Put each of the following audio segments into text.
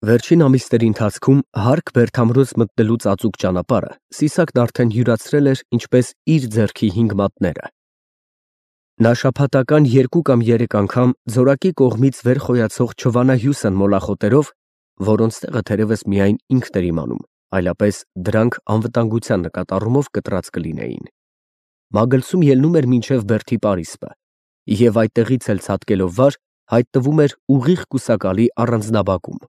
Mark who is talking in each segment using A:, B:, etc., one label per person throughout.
A: Վերջին ամիսների ընթացքում հարկ Բերդամրոց մտնելու ծածուկ ճանապարհը Սիսակն արդեն յուրացրել էր ինչպես իր ձեռքի 5 մատները։ Նա շաբաթական 2 կամ 3 անգամ ձորակի կողմից վեր խոյացող չվանահյուս են մոլախոտերով, որոնց տեղը թերևս միայն ինքն էր իմանում, այլապես դրանք անվտանգության նկատառումով կտրած կլինեին։ Մագլցում ելնում էր մինչև Բերդի պարիսպը, և այդտեղից էլ ցատկելով վար, հայտնվում էր ուղիղ կուսակալի առանձնաբակում։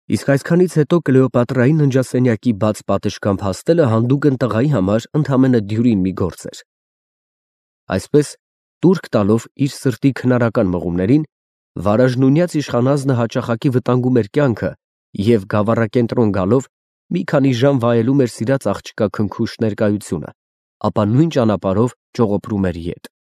A: Իսկ այսքանից հետո Կլեոպատրայի ննջասենյակի բաց պատշգամբ հասնելը հանդուգն տղայի համար ընդամենը դյուրին մի գործ էր։ Այսպես, տուրք տալով իր սրտի քնարական մղումներին, վարաժնունյաց իշխանազնը հաճախակի վտանգում էր կյանքը և գավառակենտրոն գալով մի քանի ժամ վայելում էր սիրած աղջկա քնքուշ ներկայությունը, ապա նույն ճանապարհով ճողոպրում էր ետ։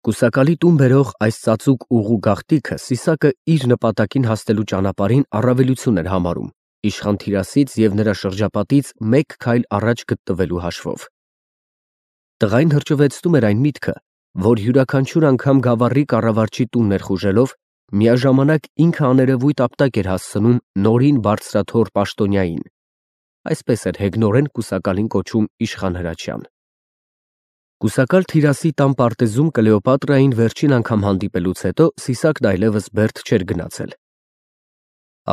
A: Կուսակալի տուն բերող այս ծածուկ ուղու գաղտնիքը Սիսակը իր նպատակին հասնելու ճանապարհին առավելություն էր համարում, իշխան Թիրասից և նրա շրջապատից 1 քայլ առաջ գտնվելու հաշվով։ Տղային հրճվեցնում էր այն միտքը, որ յուրաքանչյուր անգամ գավառի կառավարչի տուն ներխուժելով, միաժամանակ ինքը աներևույթ ապտակ էր հասցնում նորին բարձրաթոռ պաշտոնյային։ Այսպես էր հեգնորեն կուսակալին կոչում իշխան Հրաչյան։ Կուսակալ Թիրասի տան պարտեզում Կլեոպատրային վերջին անգամ հանդիպելուց հետո Սիսակն այլևս Բերդ չէր գնացել։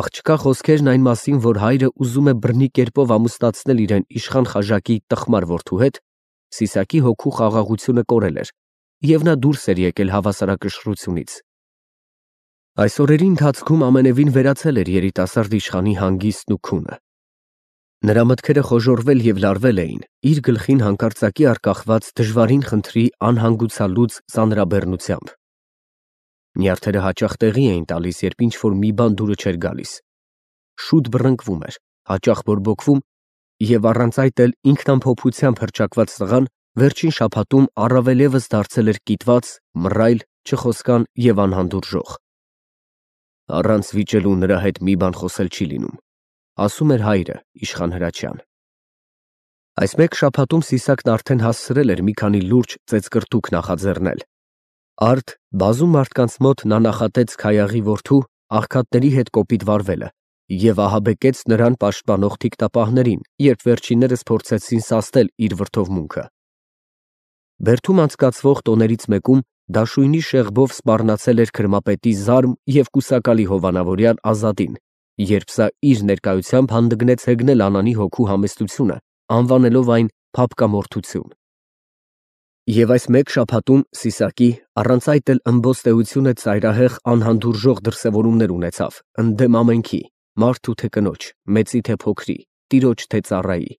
A: Աղջկա խոսքերն այն մասին, որ հայրը ուզում է բռնի կերպով ամուսնացնել իրեն իշխան Խաժակի տխմար որդու հետ, Սիսակի հոգու խաղաղությունը կորել էր, և նա դուրս էր եկել հավասարակշռությունից։ Այս օրերի ընթացքում ամենևին վերացել էր երիտասարդ իշխանի հանգիստն ու քունը։ Նրա մտքերը խոժոռվել և լարվել էին իր գլխին հանկարծակի առկախված դժվարին խնդրի անհանգուցալուծ ծանրաբեռնությամբ։ Նյարդերը հաճախ տեղի էին տալիս, երբ ինչ-որ մի բան դուրը չէր գալիս։ Շուտ բռնկվում էր, հաճախ բորբոքվում, և առանց այդ էլ ինքնամփոփությամբ հռչակված տղան վերջին շաբաթում առավել ևս դարձել էր կիտված, մռայլ, չխոսկան և անհանդուրժող։ Առանց վիճելու նրա հետ մի բան խոսել չի լինում, ասում էր հայրը, իշխան Հրաչյան։ Այս մեկ շաբաթում Սիսակն արդեն հասցրել էր մի քանի լուրջ ծեծկռտուք նախաձեռնել։ Արդ բազում մարդկանց մոտ նա նախատեց Քայաղի որդու աղքատների հետ կոպիտ վարվելը և ահաբեկեց նրան պաշտպանող թիկնապահներին, երբ վերջիններս փորձեցին սաստել իր վրդովմունքը։ Բերդում անցկացվող տոներից մեկում դաշույնի շեղբով սպառնացել էր քրմապետի Զարմ և կուսակալի հովանավորյալ Ազատին, երբ սա իր ներկայությամբ հանդգնեց հեգնել Անանի հոգու համեստությունը, անվանելով այն փափկամորթություն։ Եվ այս մեկ շաբաթում Սիսակի, առանց այդ էլ ըմբոստեությունը ծայրահեղ անհանդուրժող դրսևորումներ ունեցավ ընդդեմ ամենքի, մարդու թե կնոջ, մեծի թե փոքրի, տիրոջ թե ծառայի։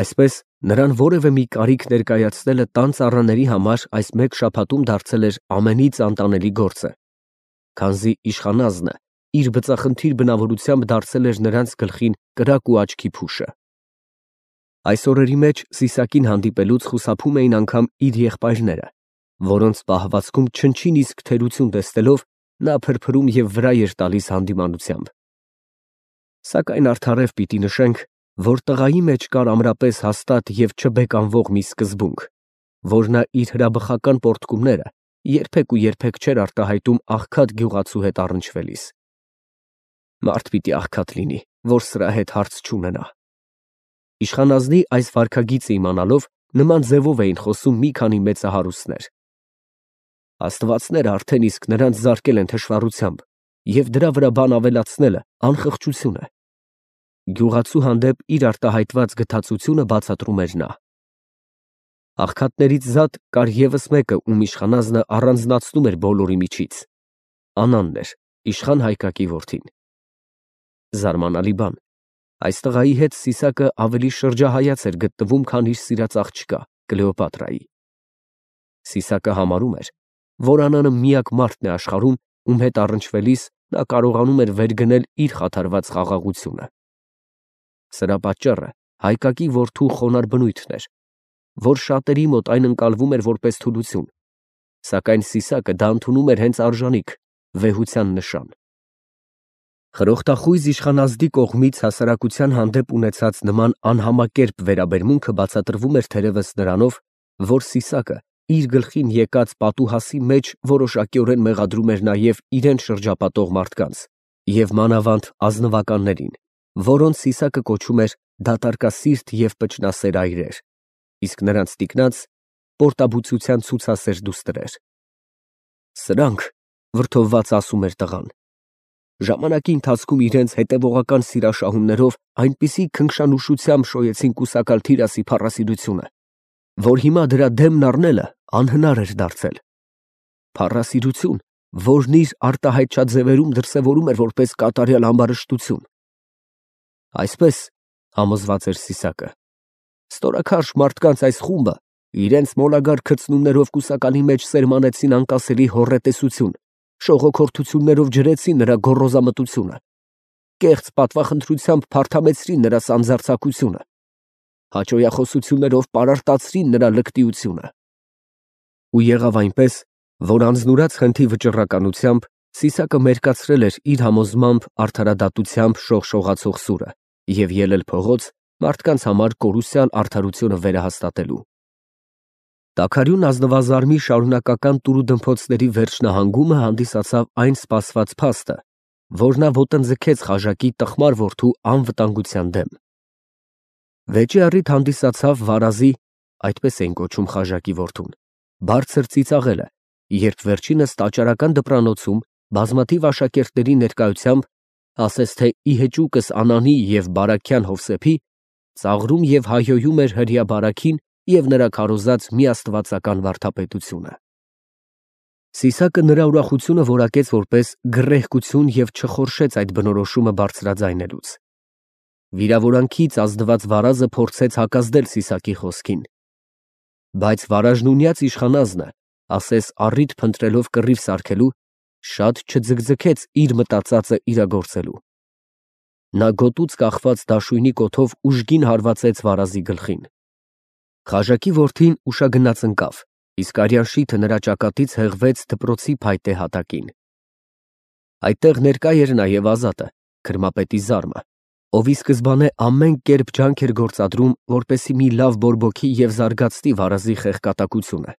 A: Այսպես նրան որևէ մի կարիք ներկայացնելը տան ծառաների համար այս մեկ շաբաթում դարձել էր ամենից անտանելի գործը, քանզի իշխանազնը իր բծախնդիր բնավորությամբ դարձել էր նրանց գլխին կրակ ու աչքի փուշը։ Այս օրերի մեջ Սիսակին հանդիպելուց խուսափում էին անգամ իր եղբայրները, որոնց պահվածքում չնչին իսկ թերություն տեսնելով նա փրփրում և վրա էր տալիս հանդիմանությամբ։ Սակայն արդարև պիտի նշենք, որ տղայի մեջ կար ամրապես հաստատ և չբեկանվող մի սկզբունք, որ նա իր հրաբխական պոռթկումները երբեք ու երբեք չէր արտահայտում աղքատ գյուղացու հետ առնչվելիս։ Մարդ պիտի աղքատ լինի, որ սրա հետ հարց չունենա։ Իշխանազնի այս վարքագիծը իմանալով նման ձևով էին խոսում մի քանի մեծահարուստներ։ Աստվածները արդեն իսկ նրանց զարկել են թշվառությամբ, և դրա վրա բան ավելացնելը անխղճություն է։ Գյուղացու հանդեպ իր արտահայտված գթածությունը բացատրում էր նա։ Աղքատներից զատ կար ևս մեկը, ում իշխանազնը առանձնացնում էր բոլորի միջից։ Անանն էր, իշխան Հայկակի որդին։ Զարմանալի բան, այս տղայի հետ Սիսակը ավելի շրջահայաց էր գտնվում, քան իր սիրած աղջկա Կլեոպատրայի։ Սիսակը համարում էր, որ Անանը միակ մարդն է աշխարհում, ում հետ առնչվելիս նա կարողանում էր վեր գնել իր խաթարված խաղաղությունը։ Սրա պատճառը Հայկակի որդու խոնարհ բնույթն էր, որ շատերի մոտ այն ընկալվում էր որպես թուլություն, սակայն Սիսակը դա ընդունում էր հենց արժանիք, վեհության նշան։ Խրոխտախույզ իշխանազդի կողմից հասարակության հանդեպ ունեցած նման անհամակերպ վերաբերմունքը բացատրվում էր թերևս նրանով, որ Սիսակը իր գլխին եկած պատուհասի մեջ որոշակիորեն մեղադրում էր նաև իրեն շրջապատող մարդկանց, և մանավանդ ազնվականներին, որոնց Սիսակը կոչում էր դատարկասիրտ և պճնասեր այրեր, իսկ նրանց տիկնաց պորտաբուծության ցուցասեր դուստրեր։ Սրանք, վրդովված ասում էր տղան, ժամանակի ընթացքում իրենց հետևողական սիրաշահումներով այնպիսի քնքշանուշությամբ շոյեցին կուսակալ Թիրասի փառասիրությունը, որ հիմա դրա դեմն առնելը անհնար էր դարձել։ Փառասիրություն, որն իր արտահայտչած ձևերում դրսևորում էր որպես կատարյալ ամբարշտություն։ Այսպես, համոզված էր Սիսակը, ստորաքարշ մարդկանց այս խումբը իրենց մոլագար քրծնումներով կուսակալի մեջ սերմանեցին անկասելի հոռետեսություն, շողոքորթություններով ջրեցին նրա գոռոզամտությունը, կեղծ պատվախնդրությամբ փարթամեցրին նրա սանձարձակությունը, հաճոյախոսություններով պարարտացրին նրա լկտիությունը։ Ու եղավ այնպես, որ անձնուրաց խնդի վճռականությամբ Սիսակը մերկացրել էր իր համոզմամբ արդարադատությամբ շողշողացող սուրը և ելել փողոց մարդկանց համար կորուսյալ արդարությունը վերահաստատելու։ Տաքարյուն ազնվազարմի շարունակական տուրուդմփոցների վերջնահանգումը հանդիսացավ այն սպասված փաստը, որ նա ոտնձգեց խաժակի տխմար որդու անվտանգության դեմ։ Վեճի առիթ հանդիսացավ վարազի, այդպես էին կոչում խաժակի որդուն, բարձր ծիծաղելը, երբ վերջինս տաճարական դպրանոցում բազմաթիվ աշակերտների ներկայությամբ, ասես թե ի հեճուկս Անանի և Բարաքյան Հովսեփի, ծաղրում և հայհոյում էր հրեա Բարաքին և նրա քարոզած միաստվածական վարդապետությունը։ Սիսակը նրա ուրախությունը որակեց որպես գռեհկություն և չխորշեց այդ բնորոշումը բարձրաձայնելուց։ Վիրավորանքից ազդված վարազը փորձեց հակազդել Սիսակի խոսքին, բայց վարաժնունյաց իշխանազնը, ասես առիթ փնտրելով կռիվ սարքելու, շատ չձգձգեց իր մտածածը իրագործելու։ Նա գոտուց կախված դաշույնի կոթով ուժգին հարվածեց վարազի գլխին։ Խաժակի որդին ուշագնաց ընկավ, իսկ արյան շիթը նրա ճակատից հեղվեց դպրոցի փայտե հատակին։ Այդտեղ ներկա էր նաև Ազատը, քրմապետի զարմը, ով ի սկզբանե ամեն կերպ ջանք էր գործադրում, որպեսզի մի լավ բորբոքի և զարգացնի վարազի խեղկատակությունը,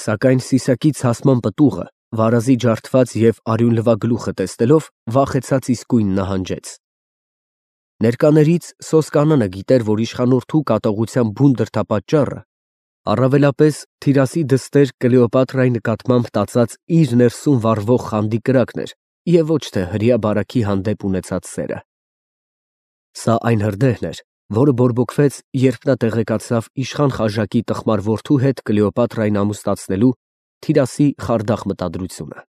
A: սակայն Սիսակի ցասման պտուղը, վարազի ջարդված և արյունլվա գլուխը տեսնելով, վախեցած իսկույն նահանջեց։ Ներկաներից Սոսկանանը գիտեր, որ իշխանորդու կատաղության բուն դրդապատճառը առավելապես Թիրասի դստեր Կլեոպատրայի նկատմամբ տածած իր ներսում վառվող խանդի կրակն էր և ոչ թե հրեա Բարաքի հանդեպ ունեցած սերը։ Սա այն հրդեհն էր, որը բորբոքվեց, երբ նա տեղեկացավ իշխան խաժակի տխմար որդու հետ Կլեոպատրային ամուսնացնելու Թիրասի խարդախ մտադրությունը։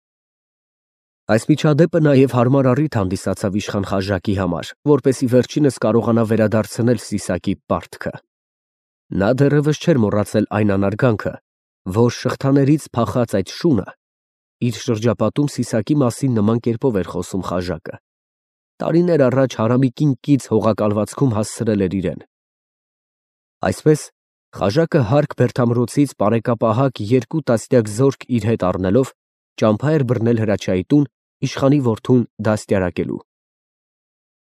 A: Այս միջադեպը նաև հարմար առիթ հանդիսացավ իշխան խաժակի համար, որպեսզի վերջինս կարողանա վերադարձնել Սիսակի պարտքը։ Նա դեռևս չէր մոռացել այն անարգանքը, որ շղթաներից փախած այդ շունը իր շրջապատում Սիսակի մասին նման կերպով էր խոսում խաժակը։ Տարիներ առաջ հարամիկին կից հողակալվածքում հասցրել էր իրեն։ Այսպես խաժակը Հարկ Բերդամրոցից պարեկապահակ 2 տասնյակ զորք իր հետ առնելով ճամփա էր բռնել Հրաչյայի տուն իշխանի որդուն դաստիարակելու։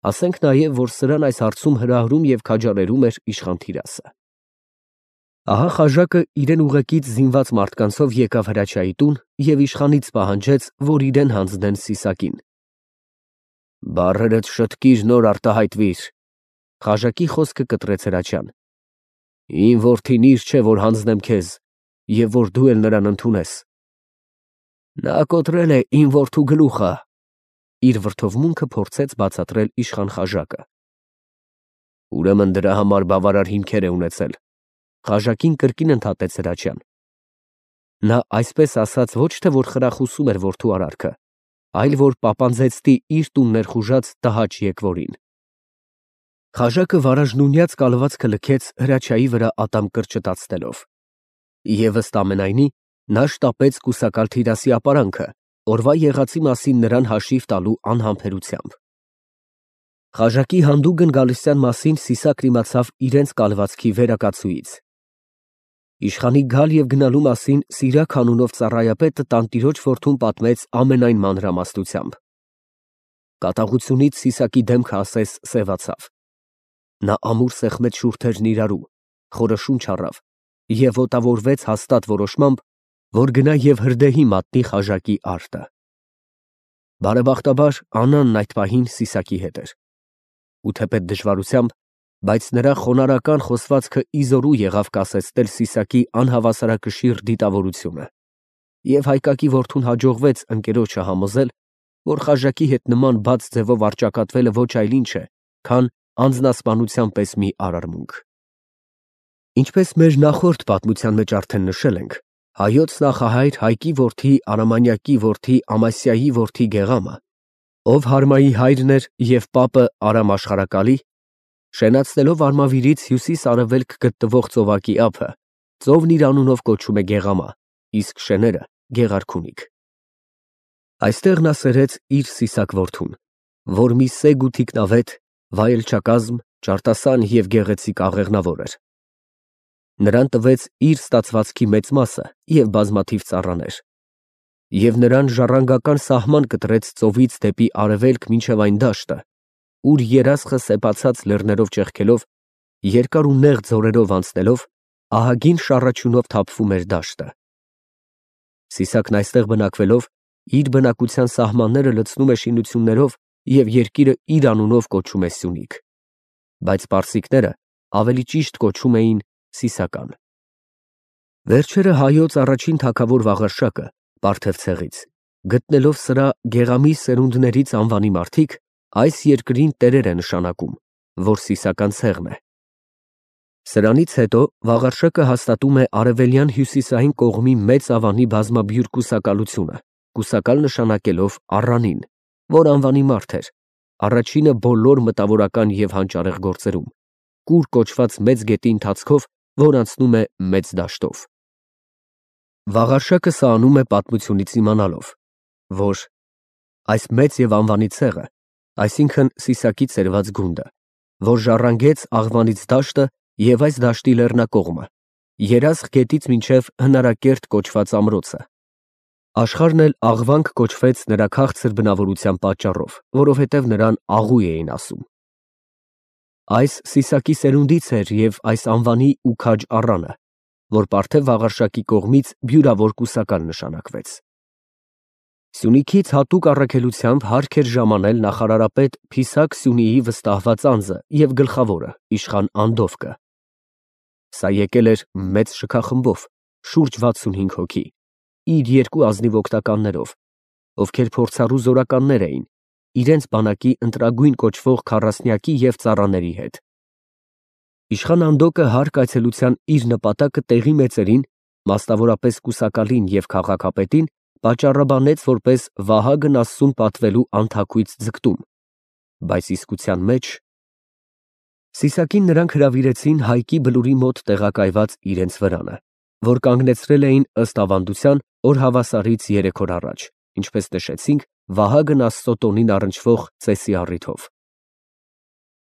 A: Ասենք նաև, որ սրան այս հարցում հրահրում և քաջալերում էր իշխան Թիրասը։ Ահա խաժակը իրեն ուղեկից զինված մարդկանցով եկավ Հրաչյայի տուն և իշխանից պահանջեց, որ իրեն հանձնեն Սիսակին։ Բառերդ շտկիր, նոր արտահայտվիր, խաժակի խոսքը կտրեց Հրաչյան։ Իմ որդին իր չէ, որ հանձնեմ քեզ, և որ դու էլ նրան ընդունես։ Նա կոտրել է իմ որդու գլուխը, իր վրդովմունքը փորձեց բացատրել իշխան խաժակը։ Ուրեմն դրա համար բավարար հիմքեր է ունեցել, խաժակին կրկին ընդհատեց Հրաչյան։ Նա այսպես ասած ոչ թե որ խրախուսում էր որդու արարքը, այլ որ պապանձեցնի իր տուն ներխուժած տհաճ եկվորին։ Խաժակը վարաժնունյաց կալվածքը լքեց Հրաչյայի վրա ատամ կրճտացնելով։ Եվ ըստ ամենայնի, նա շտապեց կուսակալ Թիրասի ապարանքը, օրվա եղածի մասին նրան հաշիվ տալու անհամբերությամբ։ Խաժակի հանդուգն գալստյան մասին Սիսակն իմացավ իրենց կալվածքի վերակացուից։ Իշխանի գալ և գնալու մասին Սիրակ անունով ծառայապետը տանտիրոջ որդուն պատմեց ամենայն մանրամասնությամբ։ Կատաղությունից Սիսակի դեմքը ասես սևացավ։ Նա ամուր սեղմեց շուրթերն իրարու, խորը շունչ առավ և ոտավորվեց հաստատ որոշմամբ, որ գնա և հրդեհի մատնի խաժակի արտը։ Բարեբախտաբար Աննան այդ պահին Սիսակի հետ էր։ Ու թեպետ դժվարությամբ, բայց նրա խոնարհական խոսվածքը իզորու եղավ կասեցնել Սիսակի անհավասարակշիռ դիտավորությունը, և հայկակի որդուն հաջողվեց ընկերոջը համոզել, որ խաժակի հետ նման բաց ձևով առճակատվելը ոչ այլ ինչ է, քան անձնասպանության պես մի արարմունք։ Ինչպես մեր նախորդ պատմության մեջ արդեն նշել ենք, հայոց նախահայր Հայկի որդի Արամանյակի որդի Ամասիայի որդի Գեղամը, ով Հարմայի հայրն էր և պապը Արամ աշխարհակալի, շենացնելով Արմավիրից հյուսիս֊արևելք գտնվող ծովակի ափը, ծովն իր անունով կոչում է Գեղամա, իսկ շեները Գեղարքունիք։ Այստեղ նա սերեց իր սիսակ որդուն, որ մի սեգ ու թիկնավետ, վայելչակազմ, ճարտասան և գեղեցիկ աղեղնավոր էր։ Նրան տվեց իր ստացվածքի մեծ մասը և բազմաթիվ ծառաներ, և նրան ժառանգական սահման կտրեց ծովից դեպի արևելք մինչև այն դաշտը, ուր երասխը սեպացած լեռներով ճեղքելով, երկար ու նեղ ձորերով անցնելով, ահագին շառաչյունով թափվում էր դաշտը։ Սիսակն այստեղ բնակվելով, իր բնակության սահմանները լցնում է շինություններով և երկիրը իր անունով կոչում է Սյունիք, բայց պարսիկները ավելի ճիշտ կոչում էին Սիսական։ Վերջերը հայոց առաջին թագավոր Վաղարշակը Պարթևցեղից, գտնելով սրա Գեղամի սերունդներից անվանի մարդիկ, այս երկրին տերեր է նշանակում, որ Սիսական ցեղն է։ Սրանից հետո Վաղարշակը հաստատում է արևելյան հյուսիսային կողմի մեծ ավանի բազմաբյուր կուսակալությունը, կուսակալ նշանակելով Առանին, որ անվանի մարդ էր, առաջինը բոլոր մտավորական և հանճարեղ գործերում, կուր կոչված մեծ գետի ընթացքով, որ անցնում է մեծ դաշտով։ Վաղարշակը սա անում է պատմությունից իմանալով, որ այս մեծ և անվանի ցեղը, այսինքն Սիսակի ծերված գունդը, որ ժառանգեց Աղվանից դաշտը և այս դաշտի լեռնակողմը, Երասխ գետից մինչև Հնարակերտ կոչված ամրոցը, աշխարհն էլ Աղվանք կոչվեց նրա քաղցր բնավորության պատճառով, որովհետև նրան Աղու էին ասում։ Այս Սիսակի սերունդից էր և այս անվանի ու քաջ առանը, որ Պարթև Վաղարշակի կողմից բյուրավոր կուսակալ նշանակվեց։ Սյունիքից հատուկ առաքելությամբ հարկ էր ժամանել նախարարապետ Փիսակ Սյունիի վստահված անձը և գլխավորը, իշխան Անդովկը։ Սա եկել էր մեծ շքախմբով, շուրջ 65 հոգի, իր երկու ազնիվ օգնականներով, ովքեր փորձառու զորականներ էին, իրենց բանակի ընտրագույն կոչվող քառասնյակի և ծառաների հետ։ Իշխան Անդոկը հարկ այցելության իր նպատակը տեղի մեծերին, մասնավորապես կուսակալին և քաղաքապետին, պատճառաբանեց որպես Վահագն Աստծուն պատվելու անթաքույց ձգտում, բայց իսկության մեջ Սիսակին նրանք հրավիրեցին Հայկի Բլուրի մոտ տեղակայված իրենց վրանը, որ կանգնեցրել էին ըստ ավանդության օրհավասարից 3 օր առաջ, ինչպես նշեցինք, Վահագն Աստծո տոնին առնչվող ծեսի առիթով։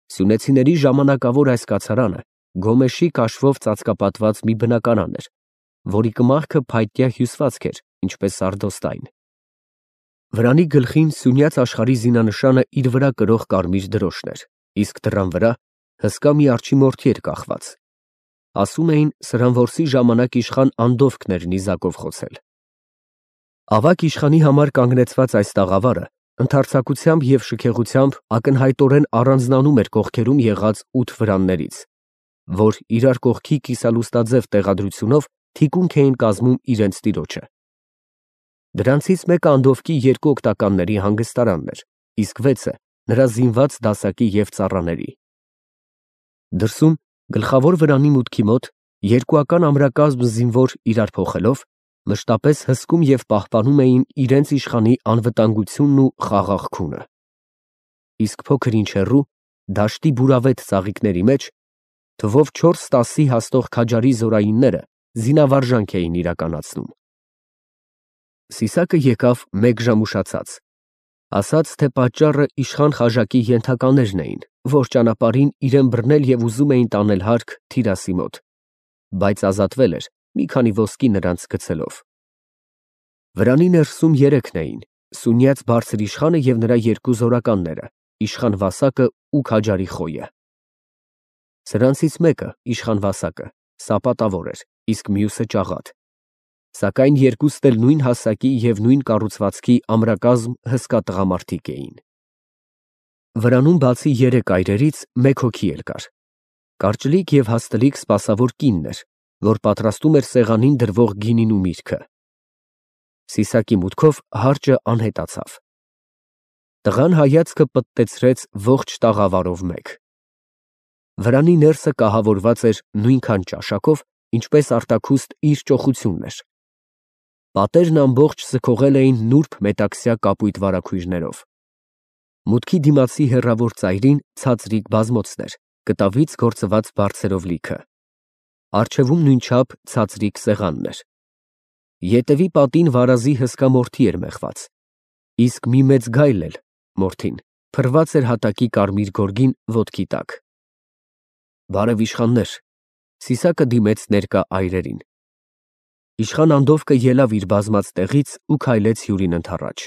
A: Սյունեցիների ժամանակավոր այս կացարանը գոմեշի կաշվով ծածկապատված մի բնակարան էր, որի կմախքը փայտյա հյուսվածք էր, ինչպես սարդոստայն։ Վրանի գլխին Սյունյաց աշխարհի զինանշանը իր վրա կրող կարմիր դրոշն էր, իսկ դռան վրա հսկա մի արջիմորդի էր կախված։ Ասում էին, սրան որսի ժամանակ իշխան Անդովկն էր նիզակով խոցել։ Ավագ իշխանի համար կանգնեցված այս տաղավարը ընդարձակությամբ և շքեղությամբ ակնհայտորեն առանձնանում էր կողքերում եղած 8 վրաններից, որ իրար կողքի կիսալուստաձև տեղադրությունով թիկունք էին կազմում իրենց տիրոջը։ Դրանցից մեկը Անդովկի երկու օգնականների հանգստարանն էր, իսկ 6-ը նրա զինված դասակի և ծառաների։ Դրսում գլխավոր վրանի մուտքի մոտ երկուական ամրակազմ զինվոր իրար փոխելով մշտապես հսկում և պահպանում էին իրենց իշխանի անվտանգությունն ու խաղաղ քունը։ Իսկ փոքր ինչ հեռու, դաշտի բուրավետ ծաղիկների մեջ, թվով 4-10-ի հասնող քաջարի զորայինները զինավարժանք էին իրականացնում։ Սիսակը եկավ մեկ ժամ ուշացած, ասաց, թե պատճառը իշխան խաժակի ենթականերն էին, որ ճանապարհին իրեն բռնել և ուզում էին տանել հարկ Թիրասի մոտ, բայց ազատվել էր մի քանի ոսկի նրանց գցելով։ Վրանի ներսում երեքն էին՝ Սյունյաց բարձր իշխանը և նրա երկու զորականները, իշխան Վասակը ու քաջարի Խոյը։ Սրանցից մեկը, իշխան Վասակը, սապատավոր էր, իսկ մյուսը ճաղատ։ Սակայն երկուստ էլ նույն հասակի և նույն կառուցվածքի ամրակազմ հսկա տղամարդիկ էին։ Վրանում բացի երեք այրերից մեկ հոգի էլ կար։ Կարճլիկ և հաստլիկ սպասավոր կինն էր, որ պատրաստում էր սեղանին դրվող գինին ու միրգը։ Սիսակի մուտքով հարճը անհետացավ։ Տղան հայացքը պտտեցրեց ողջ տաղավարով մեկ։ Վրանի ներսը կահավորված էր նույնքան ճաշակով, ինչպես արտաքուստ իր ճոխությունն էր։ Պատերն ամբողջ սքողել էին նուրբ մետաքսյա կապույտ վարագույրներով։ Մուտքի դիմացի հեռավոր ծայրին ցածրիկ բազմոցն էր, կտավից գործված բարձերով լիքը։ Առջևում նույնչափ ցածրիկ սեղանն էր։ Ետևի պատին վարազի հսկա մորթի էր մեխված, իսկ մի մեծ գայլ էլ, մորթին, փռված էր հատակի կարմիր գորգին ոտքի տակ։ Բարև իշխաններ, Սիսակը դիմեց ներկա այրերին։ Իշխան Անդովկը ելավ իր բազմած տեղից ու քայլեց հյուրին ընդառաջ։